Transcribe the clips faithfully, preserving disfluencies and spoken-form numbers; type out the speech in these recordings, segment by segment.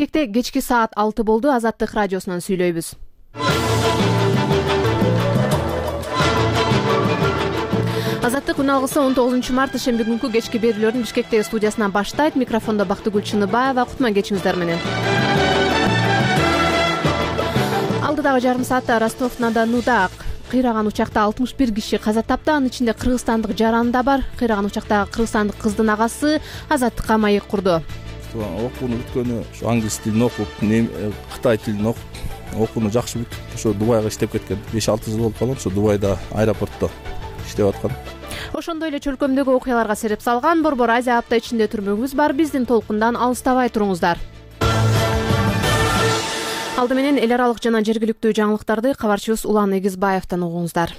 Бишкекте кечки саат алты болду. Азаттык радиосунан сүйлөйбүз. Азаттык күн алгысы он тогузунчу март ишемби күнкү кечки берүүлөрүн Бишкектеги студиясынан баштайт. Микрофондо Бактыгүл Чыныбаева. Кутман кечиңиздер менен. Алдыдагы жарым саатта Ростов-на-Донуда кыйраган учакта алтымыш бир киши каза тапты. Анын ичинде кыргызстандык жаран да бар. Кыйраган учактагы кыргызстандык кыздын агасы Азаттыкка маек курду. Окууну бүткөнү ушу англис тилин окуп, кытай тилин окуп, окууну жакшы бүтүп, ошо Дубайга иштеп кеткен. беш алты жыл болуп калган, ошо Дубайда аэропортто иштеп аткан. Ошондой эле чөлкөмдөгү окуяларга себеп салган Борбор Азия апта ичинде түрмөгүбүз бар. Биздин толкундан алыстабай туруңуздар. Алды менен эл аралык жана жергиликтүү жаңылыктарды кабарчыбыз Улан Эгизбаевден угуңуздар.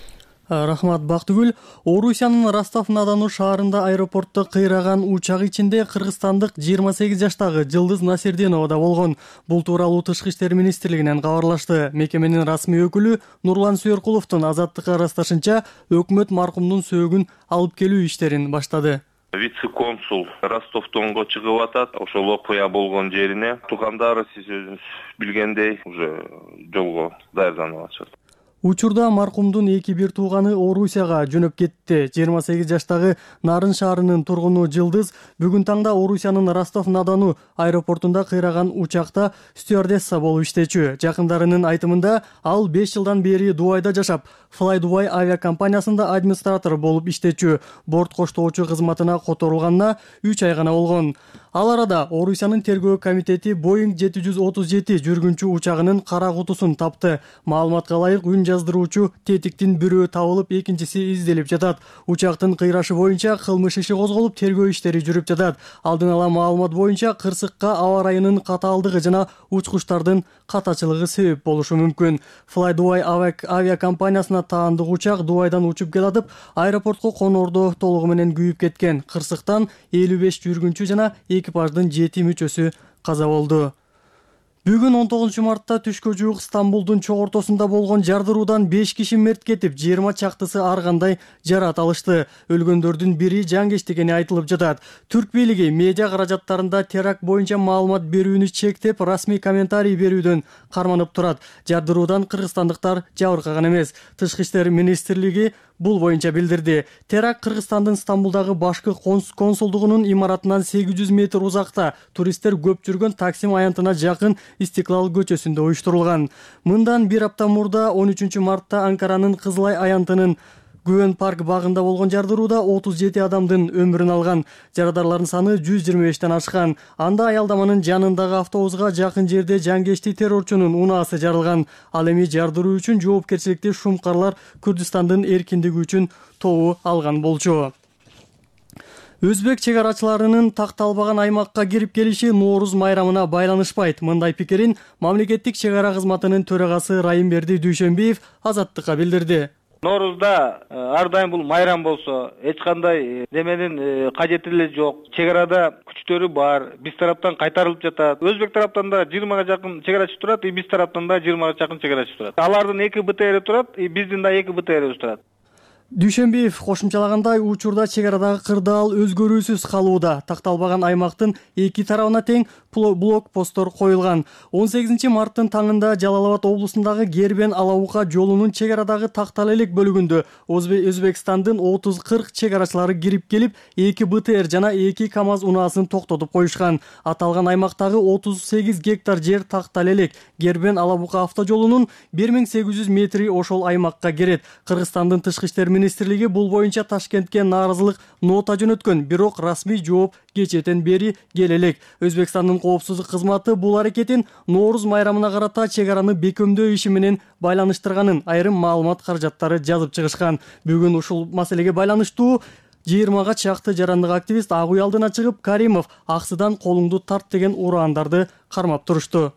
Рахмат, Бактыгүл. Орусиянын Ростов-на-Дону шаарында аэропортто кыйраган учак ичинде кыргызстандык жыйырма сегиз жаштагы Жылдыз Насирденова да болгон. Бул тууралуу Тышкы иштер министрлигинен кабарлашты. Мекеменин расмий өкүлү Нурлан Сүйөркуловдун Азаттыкка ырасташынча, өкмөт маркумдун сөөгүн алып келүү иштерин баштады. Вице-консул Ростов-Донго чыгып атат. Ошол окуя болгон жерине туугандары сиз өзүңүз билгендей уже жолго даярданып атышат. Учурда маркумдун эки бир тууганы Орусияга жөнөп кетти. жыйырма сегиз жаштагы Нарын шаарынын тургуну Жылдыз бүгүн таңда Орусиянын Ростов-на-Дону аэропортунда кыйраган учакта стюардесса болуп иштечү. Жакындарынын айтымында ал беш жылдан бери Дубайда жашап, Fly Dubai авиакомпаниясында администратор болуп иштечү. Борт коштоочу кызматына которулганына үч ай гана болгон. Ал арада Орусиянын тергөө комитети Boeing жети жүз отуз жети жүргүнчү учагынын кара кутусун тапты. Маалыматка ылайык үн жаздыруучу тетиктин бирөө табылып, экинчиси изделип жатат. Учактын кыйрашы боюнча кылмыш иши козголуп, тергөө иштери жүрүп жатат. Алдын ала маалымат боюнча кырсыкка аба ырайынын катаалдыгы жана учкучтардын катачылыгы себеп болушу мүмкүн. Fly Dubai авиакомпаниясына таандык учак Дубайдан учуп келатып, аэропортко конордо толугу менен күйүп кеткен. Кырсыктан элүү беш жүргүнчү жана экипаждын жети мүчөсү каза болду. Бүгүн он тогузунчу мартта түшкө жуук Стамбулдун чок ортосунда болгон жардыруудан беш киши мерт кетип, жыйырма чактысы ар кандай жарат алышты. Өлгөндөрдүн бири жангеч экени айтылып жатат. Түрк бийлиги медиа каражаттарында теракт боюнча маалымат берүүнү чектеп, расмий комментарий берүүдөн карманып турат. Жардыруудан кыргызстандыктар жабыркаган эмес. Тышкы иштер министрлиги бул боюнча билдирди. Теракт Кыргызстандын Стамбулдагы башкы консулдугунун имаратынан сегиз жүз метр узакта, туристтер көп жүргөн Таксим аянтына жакын Истиклал көчөсүндө уюштурулган. Мындан бир апта мурда он үчүнчү мартта Анкаранын Кызылай аянтынын Гүөн парк багында болгон жардырууда отуз жети адамдын өмүрүн алган. Жарадарлардын саны жүз жыйырма бештен ашкан. Анда аялдаманын жанындагы автобуска жакын жерде жангечти террорчунун унаасы жарылган. Ал эми жардыруу үчүн жоопкерчиликти шумкарлар Күрдүстандын эркиндиги үчүн тобу алган болчу. Өзбек чегарачыларынын такталбаган аймакка кирип келиши Нооруз майрамына байланышпайт. Мындай пикирин мамлекеттик чегара кызматынын төрагасы Райымберди Дүйшөнбиев Азаттыкка билдирди. Ноорузда ар дайым бул майрам болсо, эч кандай неменин кажети эле жок. Чегарада күчтөрү бар, биз тараптан кайтарылып жатат. Өзбек тараптан да жыйырмага жакын чегарачы турат, и биз тараптан да жыйырмага жакын чегарачы турат. Алардын эки БТРи турат, и биздин да эки БТРибиз турат. Дүйшөнбиев кошумчалагандай, учурда чегарадагы кырдаал өзгөрүүсүз калууда. Такталбаган аймактын эки тарабына тең блок-посттор коюлган. он сегизинчи марттын таңында Жалал Абад облусундагы Гербен Алабука жолунун чегарадагы тактал элек бөлүгүндө Өзбекстандын отуз кырк чегарачылары кирип келип, эки БТР жана эки КАМАЗ унаасын токтотуп коюшкан. Аталган аймактагы отуз сегиз гектар жер тактал элек. Гербен Алабука автожолунун бир миң сегиз жүз метри ошол аймакка кирет. Кыргызстандын тышкы иштер министрлиги бул боюнча Ташкентке нааразылык нота жөнөткөн, бирок расмий жооп кечээден бери келе элек. Өзбекстандын коопсуздук кызматы бул аракетин Нооруз майрамына карата чегараны бекемдөө иши менен байланыштырганын айрым маалымат каражаттары жазып чыгышкан. Бүгүн ушул маселеге байланыштуу жыйырмага чакты жарандык активист Ак Уй алдына чыгып, Каримов аксыдан колуңду тарт деген ураандарды кармап турушту.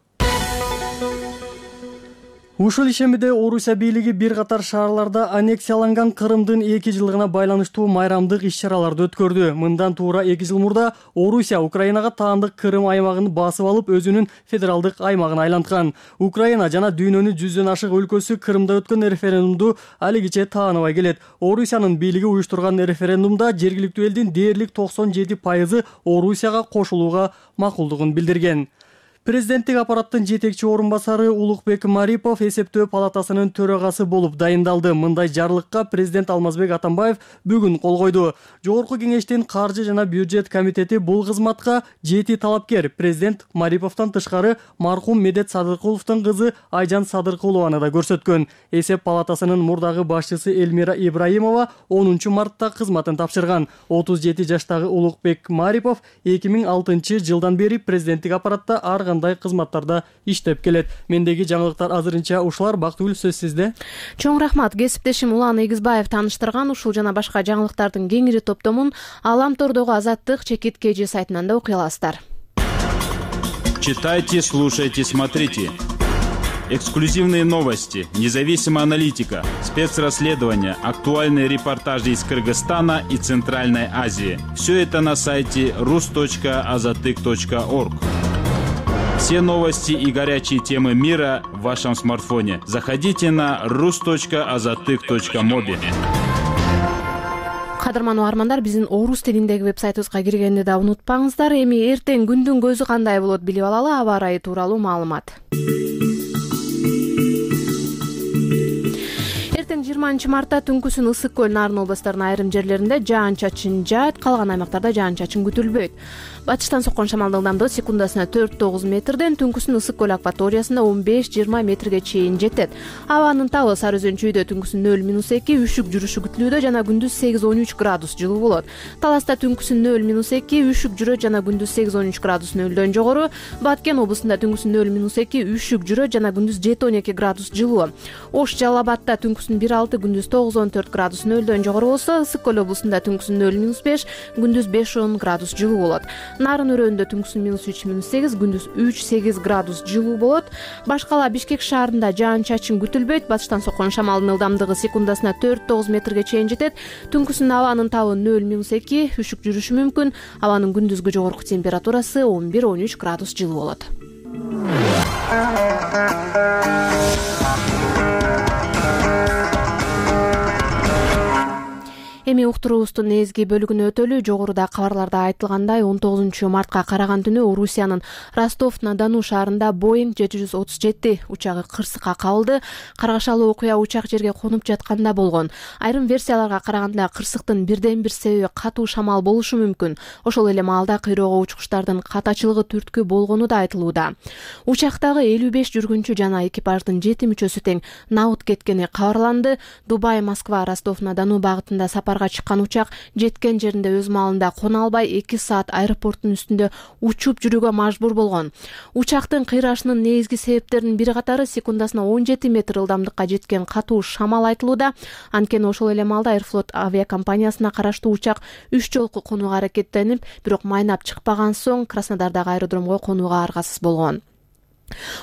Ушул ишемиде Орусия бийлиги бир катар шаарларда аннексияланган Кырымдын эки жылдыгына байланыштуу майрамдык иш-чараларды өткөрдү. Мындан туура эки жыл мурда Орусия Украинага таандык Кырым аймагын басып алып, өзүнүн федералдык аймагына айланткан. Украина жана дүйнөнүн жүздөн ашык өлкөсү Кырымда өткөн референдумду алигиче тааныбай келет. Орусиянын бийлиги уюштурган референдумда жергиликтүү элдин дээрлик токсон жети пайызы Орусияга кошулууга макулдугун билдирген. Президенттик аппараттын жетекчи орун басары Улукбек Марипов эсептөө палатасынын төрагасы болуп дайындалды. Мындай жарлыкка президент Алмазбек Атамбаев бүгүн кол койду. Жогорку кеңештин каржы жана бюджет комитети бул кызматка жети талапкер президент Мариповдон тышкары маркум Медет Садыркуловдун кызы Айжан Садыркулованы да көрсөткөн. Эсеп палатасынын мурдагы башчысы Элмира Ибраимова онунчу мартта кызматын тапшырган. отуз жети жаштагы Улукбек Марипов эки миң алтынчы жылдан бери президенттик аппаратта ар кандай кызматтарда иштеп келет. Мендеги жаңылыктар азырынча ушулар. Бактыгүл, сөз сизде. Чоң рахмат. Кесиптешим Улан Эгизбаев тааныштырган ушул жана башка жаңылыктардын кеңири топтомун Алам тордогу Азаттык чекит кж сайтынан да окуй аласыздар. Читайте, слушайте, смотрите. Эксклюзивные новости, независимая аналитика, спецрасследования, актуальные репортажи из Кыргызстана и Центральной Азии. Все это на сайте рус точка азатык точка орг. Все новости и горячие темы мира в вашем смартфоне. Заходите на рус точка азатык точка моби. Кадырман угармандар, биздин орус тилиндеги вебсайтыбызга киргенди да унутпаңыздар. Эми эртең күндүн көзү кандай болот билип алалы. Аба ырайы тууралуу маалымат. Эртең жыйырманчы мартта түнкүсүн Ысык көл, Нарын областарынын айрым жерлеринде жаан-чачын жаат, калган аймактарда жаан-чачын күтүлбөйт. Батыштан соккон шамалдын ылдамдыгы секундасына төрт тогуз метрден, түнкүсүн Ысык көл акваториясында он беш жыйырма метрге чейин жетет. Абанын табы Сары Өзөн чүйдө түнкүсүн нөл минус эки, үшүк жүрүшү күтүлүүдө жана күндүз сегиз он үч градус жылуу болот. Таласта түнкүсүн нөл минус эки, үшүк жүрөт жана күндүз сегиз он үч градус нөлдөн жогору. Баткен облусунда түнкүсүн нөл минус эки, үшүк жүрөт жана күндүз жети он эки градус жылуу. Ош Жалал Абадта түнкүсүн бир алты, күндүз тогуз он төрт градус нөлдөн жогору болсо, Ысык көл облусунда түнкүсүн нөл минус беш, күндүз беш он градус жылуу болот. Нарын өрөөнүндө түнкүсүн минус үч минус сегиз, күндүз үч сегиз градус жылуу болот. Башкала Бишкек шаарында жаан-чачын күтүлбөйт. Батыштан соккон шамалдын ылдамдыгы секундасына төрт тогуз метрге чейин жетет. Түнкүсүн абанын табы нөл минус эки, үшүк жүрүшү мүмкүн. Абанын күндүзгү жогорку температурасы он бир он үч градус жылуу болот. Эми уктуруубуздун негизги бөлүгүнө өтөлү. Жогоруда кабарларда айтылгандай, он тогузунчу мартка караган түнү Орусиянын Ростов-на-Дону шаарында Боинг жети жүз отуз жети учагы кырсыкка кабылды. Каргашалуу окуя учак жерге конуп жатканда болгон. Айрым версияларга караганда кырсыктын бирден бир себеби катуу шамал болушу мүмкүн. Ошол эле маалда кыйроого учкучтардын катачылыгы түрткү болгону да айтылууда. Учактагы элүү беш жүргүнчү жана экипаждын жети мүчөсү тең набыт кеткени кабарланды. Дубай, Москва, Ростов-на-Дону багытында сапар чыккан учак жеткен жеринде өз маалында кона албай эки саат аэропорттун үстүндө учуп жүрүүгө мажбур болгон. Учактын кыйрашынын негизги себептеринин бири катары секундасына он жети метр ылдамдыкка жеткен катуу шамал айтылууда. Анткени ошол эле маалда Аэрофлот авиакомпаниясына караштуу учак үч жолку конууга аракеттенип, бирок майнап чыкпаган соң Краснодардагы аэродромго конууга аргасыз болгон.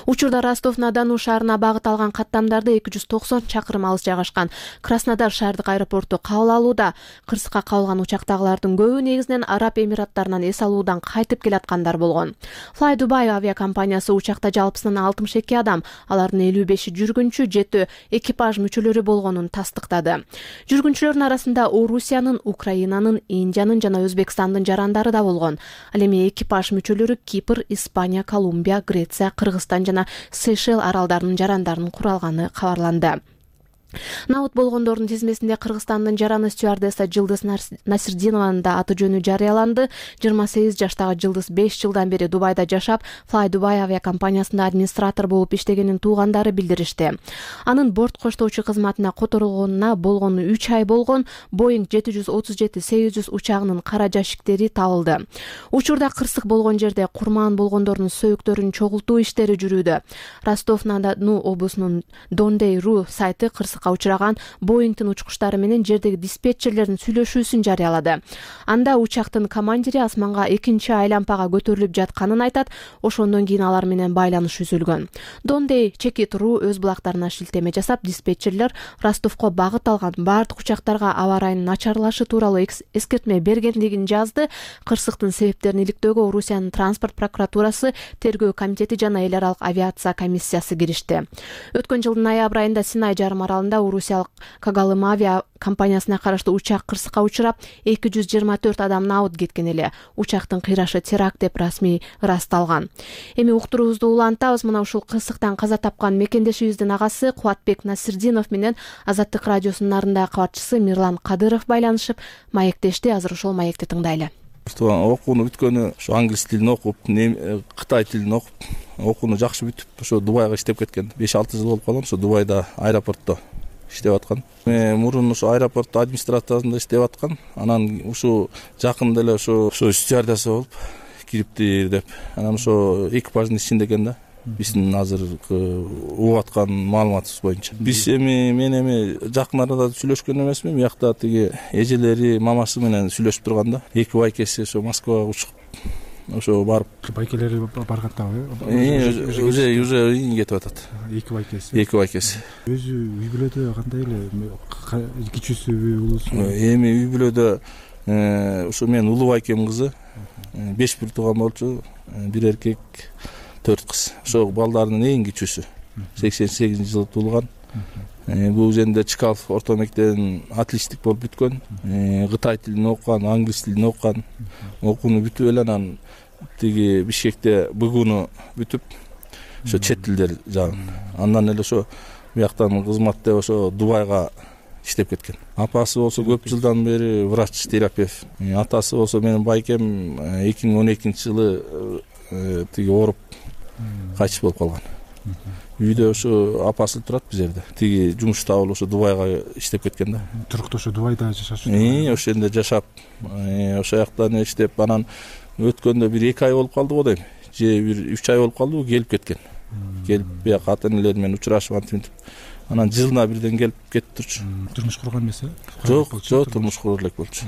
Учурда Ростов-на-Дону шаарына багыт алган каттамдарды эки жүз токсон чакырым алыс жайгашкан Краснодар шаардык аэропорту кабыл алууда. Кырсыкка кабылган учактагылардын көбү негизинен Араб Эмираттарынан эс алуудан кайтып келаткандар болгон. Fly Dubai авиакомпаниясы учакта жалпысынан алтымыш эки адам, алардын элүү беши жүргүнчү, жети экипаж мүчөлөрү болгонун тастыктады. Жүргүнчүлөрдүн арасында Орусиянын, Украинанын, Индиянын жана Өзбекстандын жарандары да болгон. Ал эми экипаж мүчөлөрү Кипр, Испания, Колумбия, Греция, Кыргызстан жана Сейшел аралдарынын жарандарынын куралганы кабарланды. Набыт болгондордун тизмесинде Кыргызстандын жараны стюардесса Жылдыз Насирдинованын да аты жөнү жарыяланды. жыйырма сегиз жаштагы Жылдыз беш жылдан бери Дубайда жашап, Fly Dubai авиакомпаниясында администратор болуп иштегенин туугандары билдиришти. Анын борт коштоочу кызматына которулгонуна болгону үч ай болгон. Боинг жети жүз отуз жети сегиз жүз учагынын кара жашиктери табылды. Учурда кырсык болгон жерде курман болгондордун сөйүктөрүн чогултуу иштери жүрүүдө. Ростов-на-Дону облусунун Дондей.ру сайты кырсыкка учураган Боингдин учкучтары менен жердеги диспетчерлердин сүйлөшүүсүн жарыялады. Анда учактын командири асманга экинчи айлампага көтөрүлүп жатканын айтат. Ошондон кийин алар менен байланыш үзүлгөн. Дондей чекит.ру өз булактарына шилтеме жасап, диспетчерлер Ростовко багыт алган бардык учактарга аба ырайынын начарлашы тууралуу эскертме бергендигин жазды. Кырсыктын себептерин иликтөөгө Орусиянын транспорт прокуратурасы, тергөө комитети жана эл аралык авиация комиссиясы киришти. Өткөн жылдын ноябрь айында Синай жарым аралында айылында орусиялык Когалым авиа компаниясына караштуу учак кырсыкка учурап, эки жүз жыйырма төрт адам набыт кеткен эле. Учактын кыйрашы теракт деп расмий ырасталган. Эми уктуруубузду улантабыз. Мына ушул кырсыктан каза тапкан мекендешибиздин агасы Кубатбек Насирдинов менен Азаттык радиосунун нарындагы кабарчысы Мирлан Кадыров байланышып маектешти. Азыр ошол маекти тыңдайлы. Окууну бүткөнү ушу англис тилин окуп, кытай тилин окуп, окууну жакшы бүтүп, ошо Дубайга иштеп кеткен. беш алты жыл болуп калган, ошо Дубайда аэропортто иштеп аткан. Мен мурун ошо аэропорт администрациясында иштеп аткан. Анан ушу жакында эле ошо ошо стюардесса болуп кириптир деп. Анан ошо экипаждын ичинде экен да. Биздин азыркы угуп аткан маалыматыбыз боюнча. Биз эми мен эми жакын арада сүйлөшкөн эмесмин. Биякта тиги эжелери, мамасы менен сүйлөшүп турган да. Эки байкеси ошо Москвага учуп, ошо барып. Байкелери баргандабы? Уже уже кетип атат. Эки байкеси. Эки байкеси. Өзү үй бүлөдө кандай эле? Кичүүсүбү, улуусу? Эми үй бүлөдө ошо мен улуу байкемдин кызы, беш бир тууган болчу, бир эркек, төрт кыз. Ошо балдардын эң кичүүсү. сексен сегизинчи жылы туулган. Бул жерде Чкалов орто мектебин отличник болуп бүткөн. Кытай тилин окуган, англис тилин окуган. Окууну бүтүп эле анан тиги Бишкекте БГУну бүтүп, ошо чет тилдер жагын. Андан эле ошо бияктан кызмат деп ошо Дубайга иштеп кеткен. Апасы болсо көп жылдан бери врач, терапевт. Атасы болсо менин байкем эки миң он экинчи жылы тиги ооруп кайтыш болуп калган. Үйдө ошо апасы турат бул жерде. Тиги жумуш табылып ошо Дубайга иштеп кеткен да. Туруктуу ошо Дубайда жашашат. Э, ошол жерде жашап, ошол жактан иштеп, анан өткөндө бир эки ай болуп калды го дейм. Же бир үч ай болуп калды, келип кеткен. Келип бияка ата энелери менен учурашып антип. Анан жылына бирден келип кетип турчу. Турмуш курган эмеси? Жок, жок, турмуш куруп элек болчу.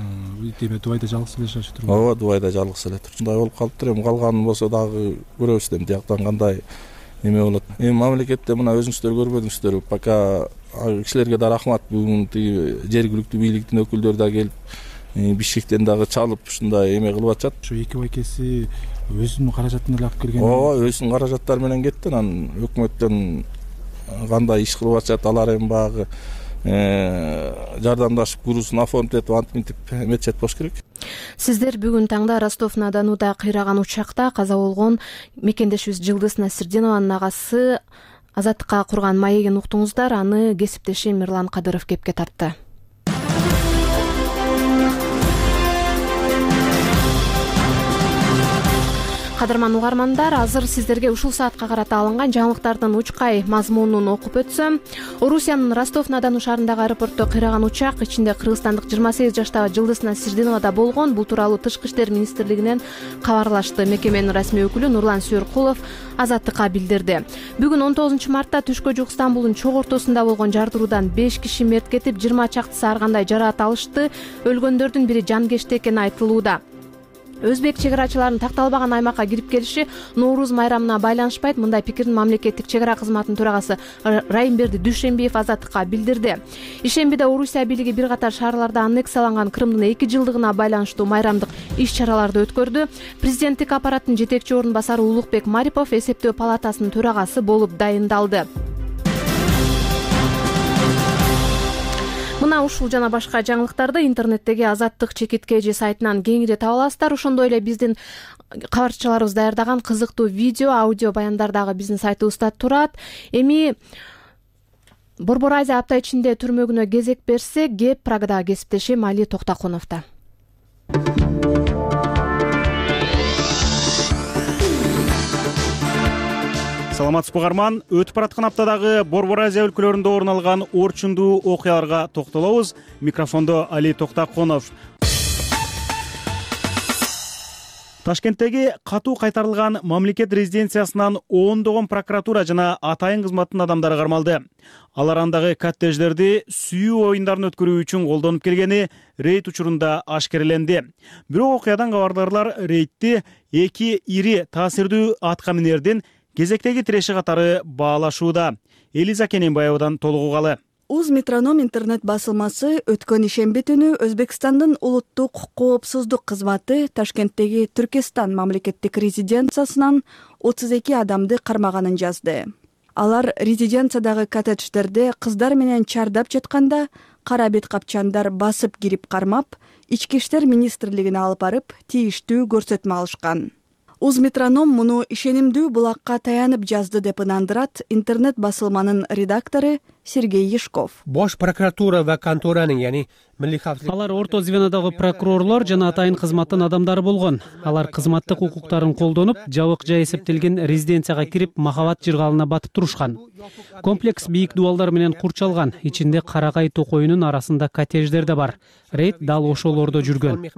Демек Дубайда жалгыз эле жашашып турган. Ооба, Дубайда жалгыз эле турчу. Мындай болуп калыптыр. Эми калганын болсо дагы көрөбүз дейм. Тияктан кандай эме болот. Эми мамлекетте мына өзүңүздөр көрбөдүңүздөр, пока кишилерге да рахмат. Бүгүн тиги жергиликтүү бийликтин өкүлдөрү да келип, Бишкектен дагы чалып ушундай эме кылып атышат. Ошо эки байкеси өзүнүн каражатын эле алып келген. Ооба, өзүнүн каражаттары менен кетти. Анан өкмөттөн кандай иш кылып атышат, алар эми багы жардамдашып грузун оформить антип эметчет болуш керек. Сиздер бүгүн таңда Ростов-на-Донуда кыйраган учакта каза болгон мекендешибиз Жылдыз Насирдинованын агасы Азаттыкка курган маегин уктуңуздар. Аны кесиптеши Мирлан Кадыров кепке тартты. Кадырман угармандар, азыр сиздерге ушул саатка карата алынган жаңылыктардын учкай мазмунун окуп өтсөм. Орусиянын Ростов-на-Дону шаарындагы аэропортто кыйраган учак ичинде кыргызстандык жыйырма сегиз жаштагы Жылдыз Насирдинова да болгон. Бул тууралуу Тышкы иштер министрлигинен кабарлашты. Мекеменин расмий өкүлү Нурлан Сүйөркулов Азаттыкка билдирди. Бүгүн он тогузунчу мартта түшкө жук Стамбулдун чок ортосунда болгон жардыруудан беш киши мерт кетип, жыйырма чактысы ар кандай жараат алышты. Өлгөндөрдүн бири жанкечти экени айтылууда. Өзбек чегарачыларынын такталбаган аймакка кирип келиши Нооруз майрамына байланышпайт. Мындай пикирин мамлекеттик чегара кызматынын төрагасы Райымберди Дүйшенбиев Азаттыкка билдирди. Ишембиде Орусия бийлиги бир катар шаарларда аннексияланган Крымдын эки жылдыгына байланыштуу майрамдык иш-чараларды өткөрдү. Президенттик аппараттын жетекчи орун басары Улукбек Марипов эсептөө палатасынын төрагасы болуп дайындалды. Мына ушул жана башка жаңылыктарды интернеттеги Азаттык чекитке же сайтынан кеңири таба аласыздар. Ошондой эле биздин кабарчыларыбыз даярдаган кызыктуу видео, аудио баяндар дагы биздин сайтыбызда турат. Эми Борбор Азия апта ичинде түрмөгүнө кезек берсе, кеп Прагадагы кесиптешим Али Токтакуновдо. Саламатсызбы угарман, өтүп бараткан аптадагы Борбор Азия өлкөлөрүндө орун алган орчундуу окуяларга токтолобуз. Микрофондо Али Токтакунов. Ташкенттеги катуу кайтарылган мамлекет резиденциясынан ондогон прокуратура жана атайын кызматтын адамдары кармалды. Алар андагы коттедждерди сүйүү оюндарын өткөрүү үчүн колдонуп келгени рейд учурунда ашкереленди. Бирок окуядан кабардарлар рейдти эки ири таасирдүү атка минердин кезектеги тиреши катары баалашууда. Элиза Кененбаевадан толук угалы. Уз Метроном интернет басылмасы өткөн ишемби түнү Өзбекстандын улуттук коопсуздук кызматы Ташкенттеги Түркестан мамлекеттик резиденциясынан отуз эки адамды кармаганын жазды. Алар резиденциядагы коттедждерде кыздар менен чардап жатканда кара бет капчандар басып кирип кармап, ички иштер министрлигине алып барып, тийиштүү көрсөтмө алышкан. Узметроном муну ишенимдүү булакка таянып жазды деп ынандырат интернет басылманын редактору Сергей Ешков. Бош прокуратура ва конторанын, яни милдий капчылык. Алар орто звенодогу прокурорлор жана атайын кызматтын адамдары болгон. Алар кызматтык укуктарын колдонуп, жабык-жай эсептелген резиденцияга кирип, махабат жыргалына батып турушкан. Комплекс бийик дубалдар менен курчалган. Ичинде карагай токоюнун арасында коттедждер да бар. Рейд дал ошолордо жүргөн,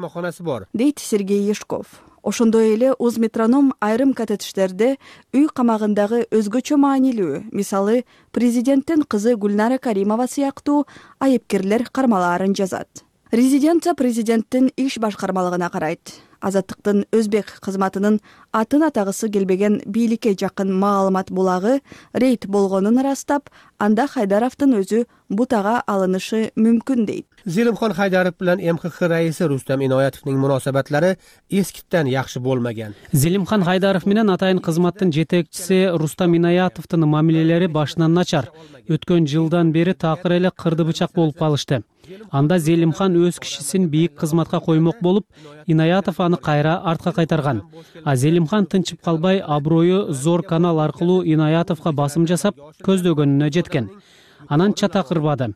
дейт Сергей Ешков. Ошондой эле Узметроном айрым коттедждерде үй камагындагы өзгөчө маанилүү, мисалы президенттин кызы Гүлнара Каримова сыяктуу айыпкерлер кармалаарын жазат. Резиденция президенттин иш башкармалыгына карайт. Азаттыктын өзбек кызматынын атын атагысы келбеген бийликке жакын маалымат булагы рейд болгонун ырастап, анда Хайдаровдун өзү бутага алынышы мүмкүн дейт. Зелимхон Хайдаров менен эм ка ха раиси Рустам Иноятовдун муносабатлары эскиттен жакшы болмаган. Зелимхан Хайдаров менен атайын кызматтын жетекчиси Рустам Иноятовдун мамилелери башынан начар. Өткөн жылдан бери такыр эле кырды бычак болуп калышты. Анда Зелимхан өз кишисин бийик кызматка коймок болуп, Иноятов аны кайра артка кайтарган. А Зелимхан тынчып калбай, аброю зор канал аркылуу Иноятовго басым жасап, көздөгөнүнө жеткен. Анан чата кырбады.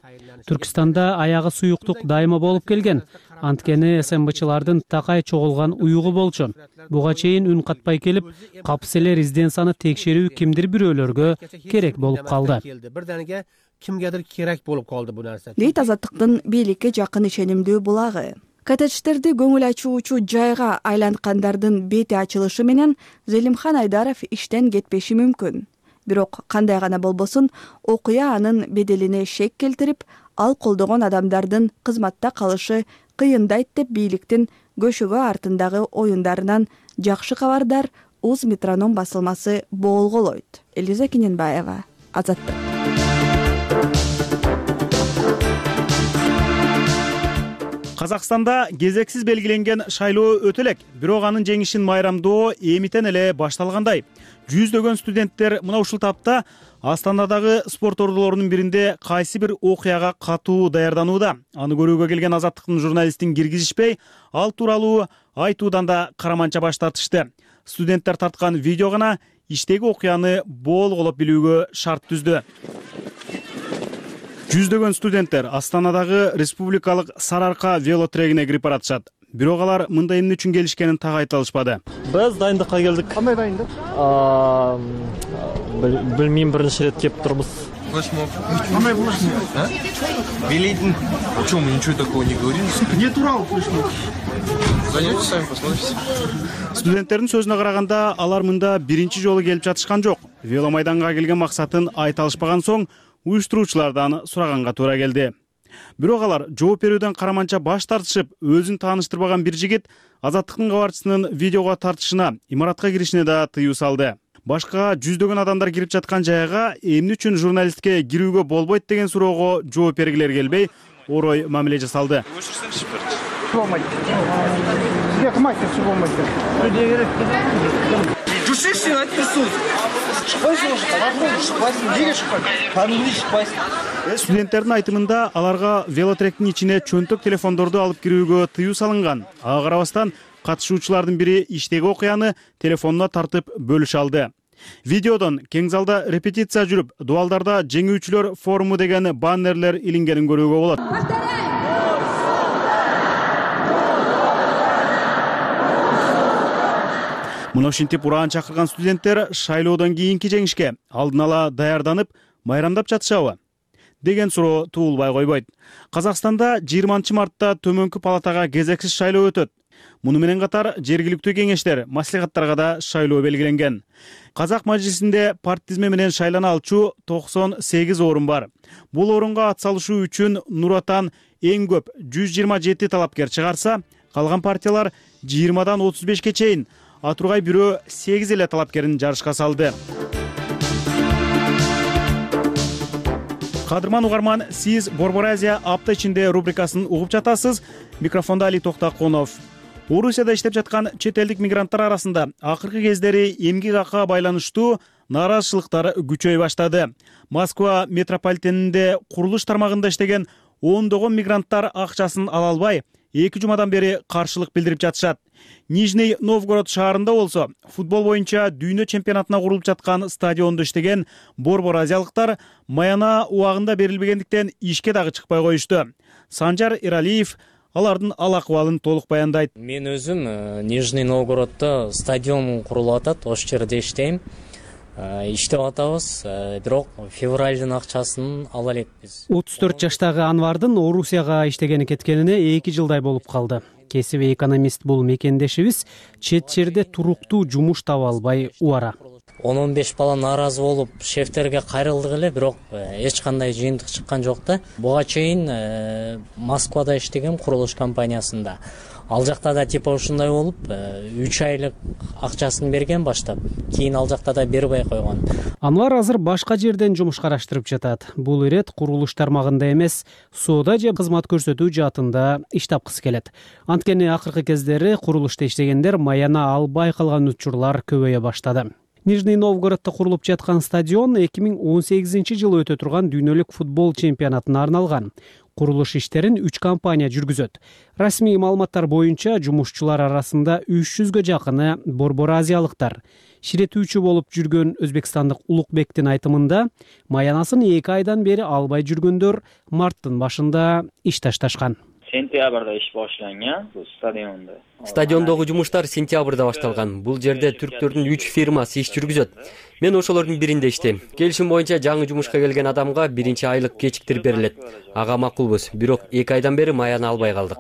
Түркистанда аягы суюктук дайыма болуп келген. Анткени эс эм бчылардын такай чогулган уюгу болчу. Буга чейин үн катпай келип, капыс эле резиденцияны текшерүү кимдир бирөөлөргө керек болуп калды. Бирдениге кимгедир керек болуп калды бу нерсе. Дейт Азаттыктын бийликке жакын ишенимдүү булагы. Коттедждерди көңүл ачуучу жайга айланткандардын бети ачылышы менен Зелимхан Айдаров иштен кетпеши мүмкүн. Бирок кандай гана болбосун, окуя анын беделине шек келтирип, ал колдогон адамдардын кызматта калышы кыйындайт деп бийликтин көшөгө артындагы оюндарынан жакшы кабардар Узметроном басылмасы боолголойт. Элиза Кененбаева, Азаттык. Казакстанда кезексиз белгиленген шайлоо өтө элек, бирок анын жеңишин майрамдоо эмитен эле башталгандай. Жүздөгөн студенттер мына ушул тапта Астанадагы спорт ордулорунун биринде кайсы бир окуяга катуу даярданууда. Аны көрүүгө келген Азаттыктын журналистин киргизишпей, ал тууралуу айтуудан да караманча баш тартышты. Студенттер тарткан видео гана иштеги окуяны боолголоп билүүгө шарт түздү. Жүздөгөн студенттер Астанадагы республикалык Сарыарка велотрегине кирип баратышат. Бирок алар мындай эмне үчүн келишкенин так айта алышпады. Биз дайындыкка келдик. Кандай дайындык? Билмейм, биринчи рет келип турбуз. Флешмоб. Кандай флешмоб? Велейдин. О чем мы ничего такого не говорим? Не турал флешмоб. Зайдете сами посмотрите. Студенттердин сөзүнө караганда, алар мында биринчи жолу келип жатышкан жок. Веломайданга келген максатын айта алышпаган соң, уюштуруучулардан сураганга туура келди. Бирок алар жооп берүүдөн караманча баш тартышып, өзүн тааныштырбаган бир жигит Азаттыктын кабарчысынын видеого тартышына, имаратка киришине да тыюу салды. Башка жүздөгөн адамдар кирип жаткан жайга эмне үчүн журналистке кирүүгө болбойт деген суроого жооп бергилер келбей, орой мамиле жасалды. Студенттердин айтымында аларга велотректин ичине чөнтөк телефондорду алып кирүүгө тыюу салынган. Ага карабастан катышуучулардын бири иштеги окуяны телефонуна тартып бөлүшө алды. Видеодон кең залда репетиция жүрүп, дубалдарда жеңүүчүлөр форуму деген баннерлер илингенин көрүүгө болот. Мына ушинтип ураан чакырган студенттер шайлоодон кийинки жеңишке алдын ала даярданып, майрамдап жатышабы деген суроо туулбай койбойт. Казакстанда жыйырманчы мартта төмөнкү палатага кезексиз шайлоо өтөт. Муну менен катар жергиликтүү кеңештер, маслихаттарга да шайлоо белгиленген. Казак мажлисинде парт тизме менен шайлана алчу токсон сегиз орун бар. Бул орунга ат салышуу үчүн Нур Отан эң көп жүз жыйырма жети талапкер чыгарса, калган партиялар жыйырмадан отуз бешке чейин, а тургай бирөө сегиз эле талапкерин жарышка салды. Кадырман угарман, сиз Борбор Азия апта ичинде рубрикасын угуп жатасыз. Микрофонда Али Токтакунов. Орусияда иштеп жаткан чет элдик мигранттар арасында акыркы кездери эмгек акыга байланыштуу нааразычылыктар күчөй баштады. Москва метрополитенинде курулуш тармагында иштеген ондогон мигранттар акчасын ала албай, эки жумадан бери каршылык билдирип жатышат. Нижний Новгород шаарында болсо, футбол боюнча дүйнө чемпионатына курулуп жаткан стадиондо иштеген борбор азиялыктар маяна убагында берилбегендиктен ишке дагы чыкпай коюшту. Санжар Иралиев алардын ал акыбалын толук баяндайт. Мен өзүм Нижний Новгороддо стадион курулуп атат, ошол жерде иштейм. Иштеп атабыз, бирок февралдын акчасын ала элекпиз. отуз төрт жаштагы Анвардын Орусияга иштегени кеткенине эки жылдай болуп калды. Кесиби экономист бул мекендешибиз чет жерде туруктуу жумуш таба албай убара. он он беш бала нааразы болуп шефтерге кайрылдык эле, бирок эч кандай жыйынтык чыккан жок да. Буга чейин Москвада иштегем курулуш компаниясында. Ал жакта да типа ушундай болуп, үч айлык акчасын берген баштап, кийин ал жакта да бербей койгон. Анвар азыр башка жерден жумуш караштырып жатат. Бул ирет курулуш тармагында эмес, соода же кызмат көрсөтүү жаатында иш тапкысы келет. Анткени акыркы кездери курулушта иштегендер маяна албай калган учурлар көбөйө баштады. Нижний Новгороддо курулуп жаткан стадион эки миң он сегизинчи жылы өтө турган дүйнөлүк футбол чемпионатына арналган. Курулуш иштерин үч компания жүргүзөт. Расмий маалыматтар боюнча жумушчулар арасында үч жүзгө жакыны борбор азиялыктар. Ширетүүчү болуп жүргөн өзбекстандык Улукбектин айтымында, маянасын эки айдан бери албай жүргөндөр марттын башында иш ташташкан. Сентябрда иш башланган бул стадиондо. Стадиондогу жумуштар сентябрда башталган. Бул жерде түрктөрдүн үч фирмасы иш жүргүзөт. Мен ошолордун биринде иштейм. Келишим боюнча жаңы жумушка келген адамга биринчи айлык кечиктирип берилет. Ага макулбуз, бирок эки айдан бери маяны албай калдык.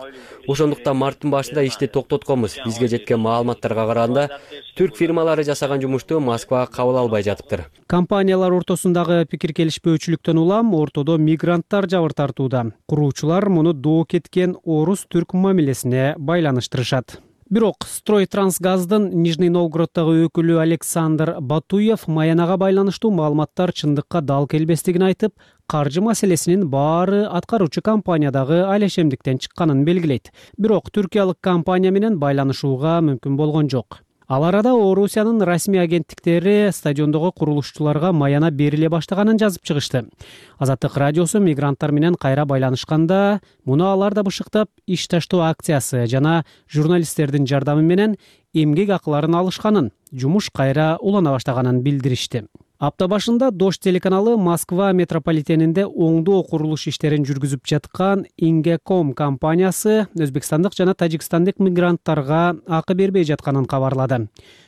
Ошондуктан марттын башында ишти токтотконбуз. Бизге жеткен маалыматтарга караганда, түрк фирмалары жасаган жумушту Москвага кабыл албай жатыптыр. Компаниялар ортосундагы пикир келишпөөчүлүктөн улам ортодо мигранттар жабыр тартууда. Куруучулар муну доо кеткен орус-түрк мамилесине байланыштырышат. Бирок Стройтрансгаздын Нижний Новгороддогу өкүлү Александр Батуев маянага байланыштуу маалыматтар чындыкка дал келбестигин айтып, каржы маселесинин баары аткаруучу компаниядагы алешемдиктен чыкканын белгилейт. Бирок түркиялык компания менен байланышууга мүмкүн болгон жок. Ал арада Орусиянын расмий агенттиктери стадиондогу курулушчуларга маяна бериле баштаганын жазып чыгышты. Азаттык радиосу мигранттар менен кайра байланышканда, муну алар да бышыктап, иш таштоо акциясы жана журналисттердин жардамы менен эмгек акыларын алышканын, жумуш кайра улана баштаганын билдиришти. Апта башында Дождь телеканалы Москва метрополитенинде оңдоо курулуш иштерин жүргүзүп жаткан Ингеком компаниясы өзбекстандык жана тажикстандык мигранттарга акы бербей жатканын кабарлады.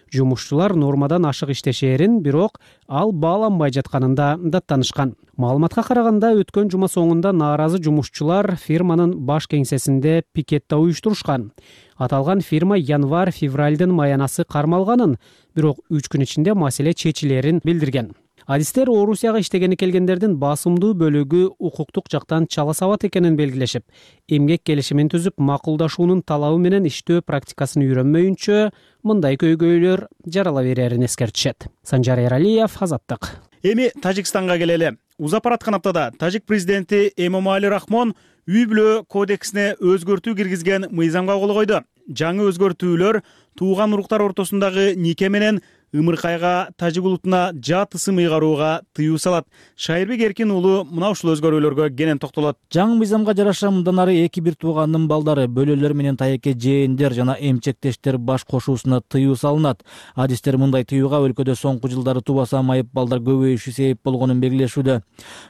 Жумушчулар нормадан ашык иштешерин, бирок ал бааланбай жатканында даттанышкан. Маалыматка караганда, өткөн жума соңунда нааразы жумушчулар фирманын баш кеңсесинде пикетте уюштурушкан. Аталган фирма январь-февралдын маянасы кармалганын, бирок үч күн ичинде маселе чечилерин билдирген. Адистер Орусияга иштегени келгендердин басымдуу бөлүгү укуктук жактан чала сабат экенин белгилешип, эмгек келишимин түзүп, макулдашуунун талабы менен иштөө практикасын үйрөнмөйүнчө мындай көйгөйлөр жарала берерин эскертишет. Санжар Эралиев, Азаттык. Эми Тажикстанга келели. Узап бараткан аптада Тажик президенти Эмомали Рахмон үй-бүлө кодексине өзгөртүү киргизген мыйзамга кол койду. Жаңы өзгөртүүлөр тууган уруктар ортосундагы нике менен ымыркайга, тажик улутуна жат ысым ыйгарууга тыюу салат. Шайырбек Эркин уулу мына ушул өзгөрүүлөргө кенен токтолот. Жаңы мыйзамга жараша мындан ары эки бир туугандын балдары, бөлөлөр менен тайеке жээндер жана эмчектештер баш кошуусуна тыюу салынат. Адистер мындай тыюуга өлкөдө соңку жылдары тубаса майып балдар көбөйүшү себеп болгонун белгилешүүдө.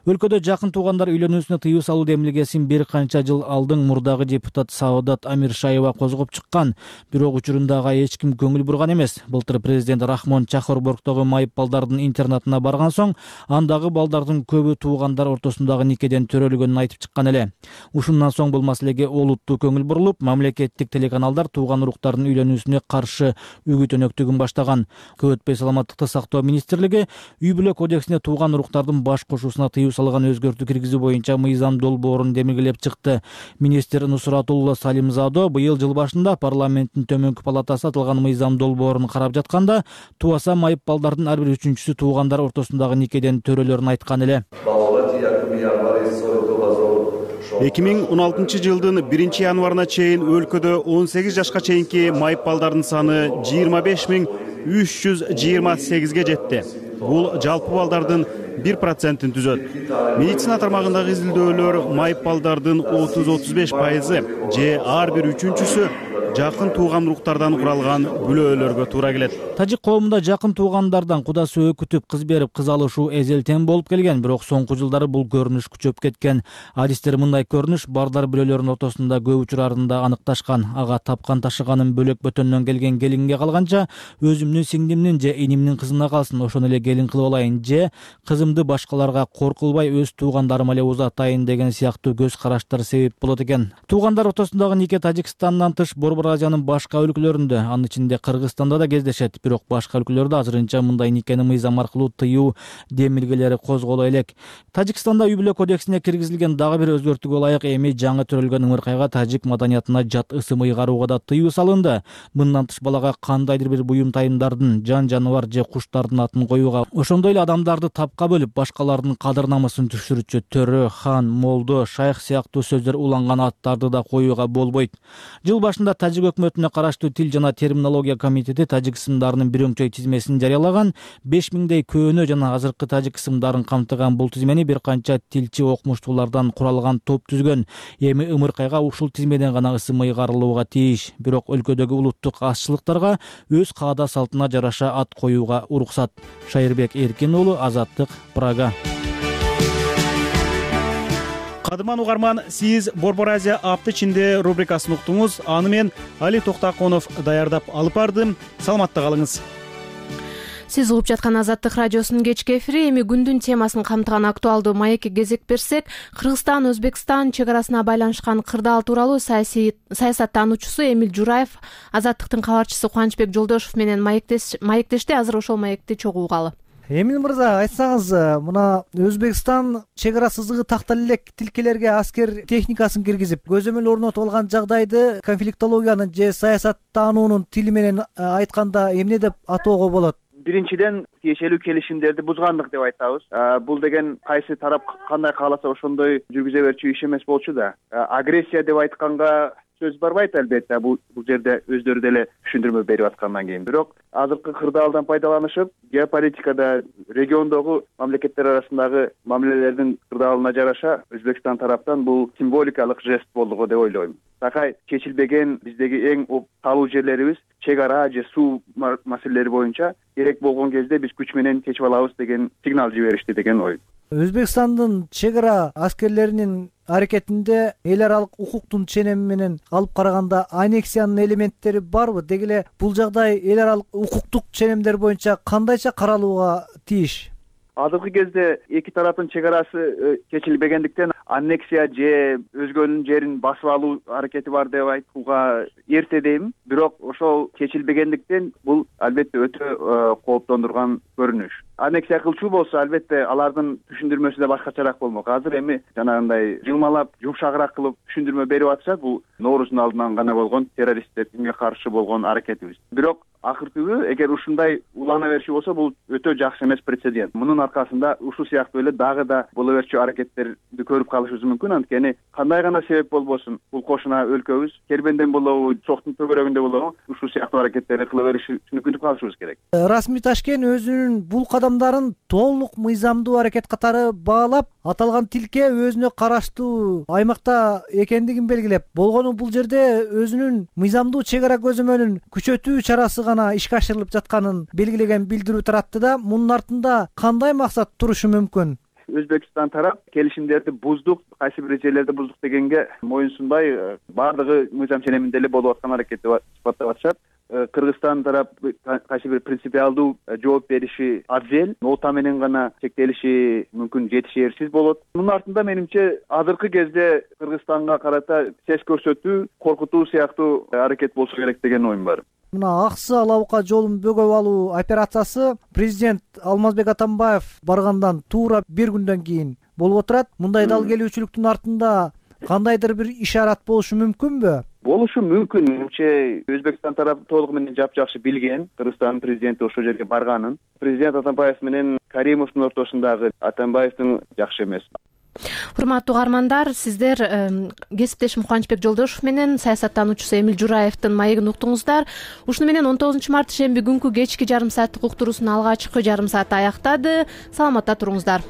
Өлкөдө жакын туугандар үйлөнүүсүнө тыюу салуу демилгесин бир канча жыл алдың мурдагы депутат Саодат Амиршаева козгоп чыккан, бирок учурундага эч ким көңүл бурган эмес. Былтыр президент Рахмон Чахорборгдогу майып балдардын интернатына барган соң, андагы балдардын көбү туугандар ортосундагы никеден төрөлгөнүн айтып чыккан эле. Ушундан соң бул маселеге олуттуу көңүл бурулуп, мамлекеттик телеканалдар тууган уруктардын үйлөнүүсүнө каршы үгүт өнөктүгүн баштаган. Көп өтпөй саламаттыкты сактоо министрлиги үй-бүлө кодексине тууган уруктардын баш кошуусуна тыюу салган өзгөртүү киргизүү боюнча мыйзам долбоорун демилгелеп чыкты. Министр Нусратулла Салимзадо быйыл жыл башында парламенттин төмөнкү палатасы аталган мыйзам долбоорун карап жатканда, туаса майып балдардын ар бир үчүнчүсү туугандар ортосундагы никеден төрөлөрүн айткан эле. эки миң он алтынчы жылдын биринчи январына чейин өлкөдө он сегиз жашка чейинки майып балдардын саны жыйырма беш миң үч жүз жыйырма сегизге жетти. бул жалпы балдардын бир процентин түзөт. Медицина тармагындагы изилдөөлөр майып балдардын отуз отуз беш пайызы же ар бир үчүнчүсү жакын тууган уруктардан куралган бүлөөлөргө туура келет. Тажик коомунда жакын туугандардан куда сөөй күтүп кыз берип кыз алышуу эзелтен болуп келген, бирок соңку жылдары бул көрүнүш күчөп кеткен. Адистер мындай көрүнүш бардар бүлөлөрүнүн ортосунда көп учурларында аныкташкан. Ага тапкан ташыганын бөлөк бөтөндөн келген келинге калганча өзүмдүн сиңдимдин же инимдин кызына калсын, ошону эле келин кылып алайын же кызымды башкаларга кор кылбай өз туугандарыма эле узатайын деген сыяктуу көз караштар себеп болот экен. Туугандар ортосундагы нике Тажикстандан тыш Борбор Азиянын башка өлкөлөрүндө, анын ичинде Кыргызстанда да кездешет, бирок башка өлкөлөрдө азырынча мындай никени мыйзам аркылуу тыюу демилгелери козголо элек. Тажикстанда үй бүлө кодексине киргизилген дагы бир өзгөртүүгө ылайык эми жаңы төрөлгөн ымыркайга тажик маданиятына жат ысым ыйгарууга да тыюу салынды. Мындан тыш балага кандайдыр бир буюм тайымдардын, жан жаныбар же куштардын атын коюуга, ошондой эле адамдарды тапка бөлүп башкалардын кадыр намысын түшүрүчү төрө, хан, молдо, шайх сыяктуу сөздөр уланган аттарды да коюуга болбойт. Жыл башында Тажик өкмөтүнө караштуу Тил жана терминология комитети тажик ысымдарынын бир өңчөй тизмесин жарыялаган. беш миңдей көөнө жана азыркы тажик ысымдарын камтыган бул тизмени бир канча тилчи окумуштуулардан куралган топ түзгөн. Эми ымыркайга ушул тизмеден гана ысым ыйгарылууга тийиш, бирок өлкөдөгү улуттук азчылыктарга өз каада салтына жараша ат коюуга уруксат. Шайырбек Эркин уулу, Азаттык, Прага. Кадыман угарман, сиз Борбор Азия апты ичинде рубрикасын уктуңуз. Аны мен Али Токтаконов даярдап алып бардым. Саламатта калыңыз. Сиз угуп жаткан Азаттык радиосунун кечки эфири. Эми күндүн темасын камтыган актуалдуу маекке кезек берсек, Кыргызстан Өзбекстан чек арасына байланышкан кырдаал тууралуу саясаттануучусу Эмиль Жураев Азаттыктын кабарчысы Кубанычбек Жолдошов менен маектешти. Азыр ошол маекти чогуу угалы. Эмиль мырза, айтсаңыз, мына Өзбекстан чек ара сызыгы тактал элек тилкелерге аскер техникасын киргизип, көзөмөл орнотуп алган жагдайды конфликтологиянын же саясаттануунун тили менен айтканда эмне деп атоого болот? Биринчиден, тиешелүү келишимдерди бузгандык деп айтабыз. Бул деген кайсы тарап кандай кааласа ошондой жүргүзө берчү иш эмес болчу да. Агрессия деп айтканга сөз барбайт, албетте. Бул жерде өздөрү деле түшүндүрмө берип аткандан кийин. Бирок азыркы кырдаалдан пайдаланышып, геополитикада региондогу мамлекеттер арасындагы мамилелердин кырдаалына жараша Өзбекстан тараптан бул символикалык жест болду деп ойлойм. Такай чечилбеген биздеги эң талуу жерлерибиз чек ара же суу маселелери боюнча керек болгон кезде биз күч менен чечип алабыз деген сигнал жиберишти деген ой. Өзбекстандын чек ара аскерлеринин аракетинде эл аралык укуктун ченеми менен алып караганда аннексиянын элементтери барбы? Деги эле бул жагдай эл аралык укуктук ченемдер боюнча кандайча каралууга тийиш? Азыркы кезде эки тараптын чек арасы чечилбегендиктен аннексия же өзгөнүн жерин басып алуу аракети бар деп айтууга эрте дейм. Бирок ошол чечилбегендиктен бул албетте өтө кооптондурган көрүнүш. Аннексия кылчу болсо, албетте алардын түшүндүрмөсү да башкачараак болмок. Азыр эми жанагындай жылмалап, жумшагыраак кылып түшүндүрмө берип атышат. Бул Нооруздун алдынан гана болгон террористтерге каршы болгон аракетибиз. Бирок акыркы күнү эгер ушундай улана берчү болсо, бул өтө жакшы эмес прецедент. Мунун аркасында ушул сыяктуу эле дагы да боло берчү аракеттерди көрүп калышыбыз мүмкүн. Анткени кандай гана себеп болбосун, бул кошуна өлкөбүз кербенден болобу, чоктун төгөрөгүндө болобу, ушул сыяктуу аракеттерди кыла бериши мүмкүндүк калышыбыз керек. Расмий Ташкент өзүнүн бул кадамдарын толук мыйзамдуу аракет катары баалап, аталган тилке өзүнө караштуу аймакта экендигин белгилеп, болгону бул жерде өзүнүн мыйзамдуу чек ара көзөмөлүн күчөтүү чарасы гана ишке ашырылып жатканын белгилеген билдирүү таратты да, мунун артында кандай максат турушу мүмкүн? Өзбекстан тарап келишимдерди буздук, кайсы бир жерлерди буздук дегенге моюнсунбай, бардыгы мыйзам ченеминде эле болуп аткан аракет деп сыпаттап атышат. Кыргызстан тарап кайсы бир принципиалдуу жооп бериши абзел, нота менен гана чектелиши мүмкүн жетишээрсиз болот. Мунун артында менимче азыркы кезде Кыргызстанга карата сес көрсөтүү, коркутуу сыяктуу аракет болсо керек деген оюм бар. Мына аксы алабука жолун бөгөп алуу операциясы президент Алмазбек Атамбаев баргандан туура бир күндөн кийин болуп отурат. Мындай дал келүүчүлүктүн артында кандайдыр бир ишарат болушу мүмкүнбү? Болушу мүмкүн. Менимче Өзбекстан тарапы толугу менен жапжакшы билген Кыргызстандын президенти ошол жерге барганын. Президент Атамбаев менен Каримовдун ортосундагы Атамбаевдин жакшы эмес. урматтуу угармандар, сиздер кесиптешим Кубанычбек Жолдошев менен саясаттануучусу Эмил Жураевдин маегин уктуңуздар. Ушуну менен он тогузунчу март шемби күнкү кечки жарым сааттык уктуруусун алгачкы жарым сааты аяктады. Саламатта туруңуздар.